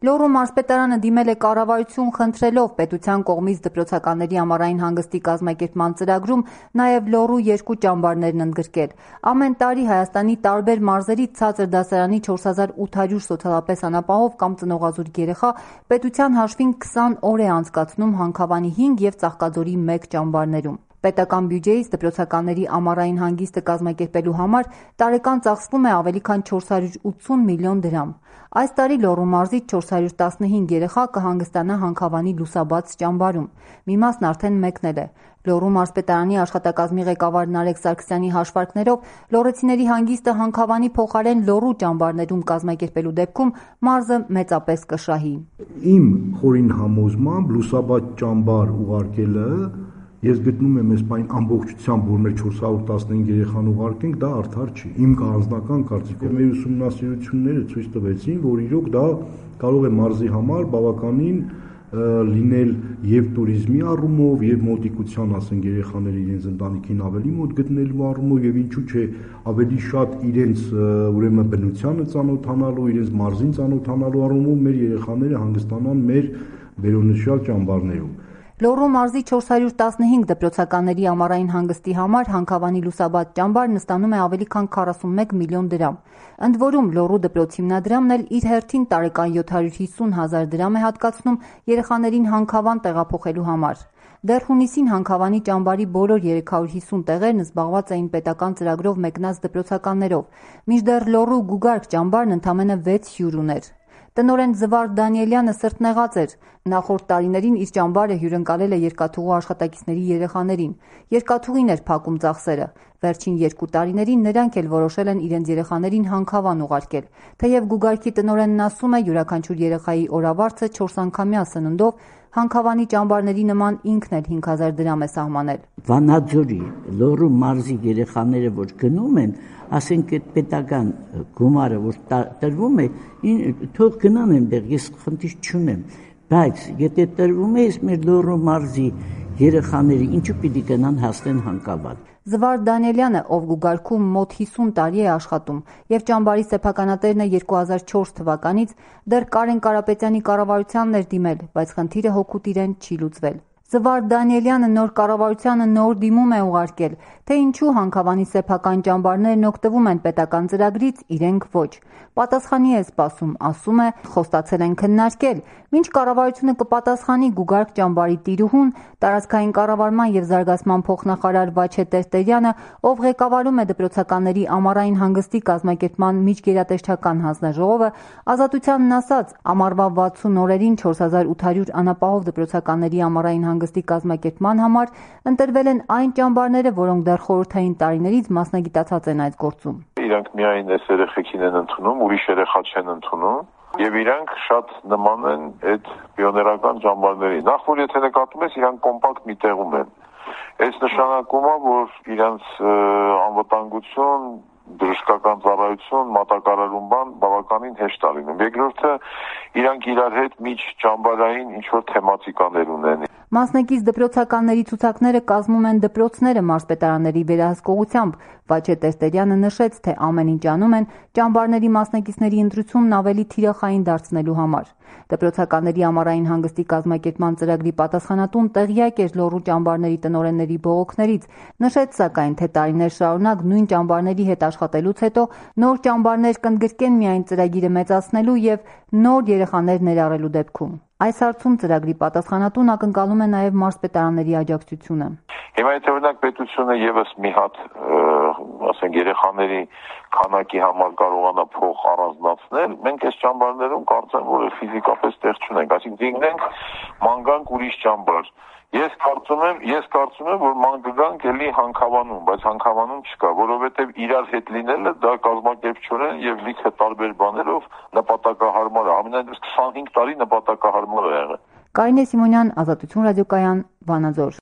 Լոռու մարզպետարանը դիմել է կառավարություն խնդրելով պետության կողմից դպրոցականների ամառային հանգստի կազմակերպման ծրագրում նաև Լոռու 2 ճամբարներն ընդգրկել։ Ամեն տարի Հայաստանի տարբեր մարզերից ցածր դասարանի 4800 սոցիալապես անապահով կամ ծնողազուրկ երեխա պետության հաշվին 20 օր է անցկացնում Հանքավանի 5 և Ծաղկաձորի 1 ճամբարներում։ Պետական բյուջեից դպրոցականների ամառային հանգիստը կազմակերպելու համար տարեկան ծախսվում է ավելի քան 480 միլիոն դրամ։ Այս տարի Լոռու մարզից 415 երեխա կհանգստանա Հանքավանի լուսաբաց ճամբարում։ Մի մասն արդեն մեկնել է։ Լոռու մարզպետարանի աշխատակազմի ղեկավար Նարեկ Սարգսյանի հաշվարկներով լոռեցիների հանգիստը Հանքավանի փոխարեն Լոռու ճամբարներում կազմակերպելու դեպքում մարզը մեծապես կշահի։ Իմ խորին համոզմամբ լուսաբաց ճամբար ուղարկելը ես գտնում եմ այս բան ամբողջությամբ, որ մեր 415 երեխան ուղարկենք, դա արդար չի։ Իմ անձնական կարծիքով մեր ուսումնասիրությունները ցույց տվեցին, որ իրոք դա կարող է մարզի համար բավականին լինել եւ տուրիզմի առումով եւ մոտիկության, ասենք, երեխաները իրենց ընտանիքին ավելի մոտ գտնելու առումով եւ ինչու՞ չէ ավելի շատ իրենց ուրեմն բնությանը ծանոթանալու, իրենց մարզին ծանոթանալու առումով մեր երեխաները հանգստանան մեր վերոնշյալ ճամբարներում։ Լոռու մարզի 415 դպրոցականների ամառային հանգստի համար Հանքավանի լուսաբաց ճամբարն ստանում է ավելի քան 41 միլիոն դրամ։ Ընդ որում Լոռու դպրոց հիմնադրամն էլ իր հերթին տարեկան 750 հազար դրամ է հատկացնում երեխաներին Հանքավան տեղափոխելու համար։ Դեռ հունիսին Հանքավանի ճամբարի բոլոր 350 տեղերն զբաղված էին պետական ծրագրով մեկնած դպրոցականներով, մինչդեռ Լոռու Գուգարք ճամբարն ընդամենը 6 հյուր ուներ։ Տնօրեն Զվարդ Դանիելյանը սրտնեղած էր։ Նախորդ տարիներին իր ճամբարը հյուրընկալել է երկաթուղու աշխատակիցների երեխաներին։ Երկաթուղին էր փակում ծախսերը։ Վերջին 2 տարիներին նրանք էլ որոշել են իրենց երեխաներին Հանքավան ուղարկել։ Թեև Գուգարքի տնօրենն ասում է, յուրաքանչյուր երեխայի օրավարձը 4 անգամյա սննդով Հանքավանի ճամբարների նման ինքն էլ 5000 դրամ է սահմանել։ Վանաձորի, Լոռու մարզի երեխաները, որ գնում են, ասենք այդ պետական գումարը, որ տրվում է, թող գնան այնտեղ, ես խնդիր չունեմ, բայց եթե տրվում է, մեր Լոռու մարզի երեխաները ինչու պիտի գնան հասնեն Հանքավան։ Զվարդ Դանիելյանը, ով Գուգարքում մոտ 50 տարի է աշխատում եւ ճամբարի սեփականատերն է 2004 թվականից, դեռ Կարեն Կարապետյանի կառավարությանն էր դիմել, բայց խնդիրը հօգուտ իրեն չի լուծվել։ Զվարդ Դանիելյանը նոր կառավարությանը նոր դիմում է ուղարկել, թե ինչու Հանքավանի սեփական ճամբարներն օգտվում են պետական ծրագրից, իրենք ոչ։ Պատասխանի է սպասում, ասում է, խոստացել են քննարկել, մինչ կառավարությունը կպատասխանի Գուգարք ճամբարի տիրուհուն, տարածքային կառավարման եւ զարգացման փոխնախարար Վաչե Տերտերյանը, ով ղեկավարում է դպրոցականների ամառային հանգստի կազմակերպման միջգերատեսչական հանձնաժողովը, Ազատությանն ասաց, ամառվա 60 օրերին 4800 անապահով դպրոցականների ամառային հանգստի կազմակերպման համար ընտրվել են այն ճամբարները, որոնք դեռ խորհրդային տարիներից մասնագիտացած են այս գործում։ Իրանք միայն այս երեխեքին են ընդունում, ուրիշ երեխա չեն ընդունում, եւ իրանք շատ նման են այդ պիոներական ճամբարներին։ Նախ որ եթե նկատում ես, իրանք կոմպակտ մի տեղում են։ Այս նշանակում է, որ իրանք անվտանգություն, դրժկական ծառայություն, մատակարարում բան բավականին հեշտ է լինում։ Երկրորդը, իրանք իրար հետ միջ ճամբարային ինչ-որ թեմատիկաներ ունեն։ Մասնակից դպրոցականների ցուցակները կազմում են դպրոցները մարզպետարանների վերահսկողությամբ։ Վաչե Տերտերյանը նշեց, թե ամեն ինչ անում են ճամբարների մասնակիցների ընտրությունն ավելի թիրախային դարձնելու համար։ Դպրոցականների ամառային հանգստի կազմակերպման ծրագրի պատասխանատուն տեղյակ էր Լոռու ճամբարների տնօրենների բողոքներից, նշեց սակայն, թե տարիներ շարունակ նույն ճամբարների հետ աշխատելուց հետո նոր ճամբարներ կընդգրկեն միայն ծրագիրը մեծացնելու եւ նոր երեխաներ ներառելու դեպքում։ Այս հարցում ծրագրի պատասխանատուն ակնկալում է նաև մարզպետարանների աջակցությունը։ Հիմա եթե օրինակ պետությունը եւս մի հատ, ասենք, երեխաների քանակի համար կարողանա փող առանձնացնել, մենք այս ճամբարներում կարծեմ, որ ֆիզիկապես տեղ չունենք, այսինքն դինգնենք ման գանք ուրիշ ճամբար։ Ես կարծում եմ, որ ման գանք էլի Հանքավանում, բայց Հանքավանում չկա, որովհետև իրար հետ լինելը դա կազմակերպչորեն եւ լիքը տարբեր բաներով նպատակահարմար է, ամենայնիվս 25 տարի նպատակահարմար է եղել։ Կարինե Սիմոնյան, Ազատություն ռադիոկայան, Վանաձոր։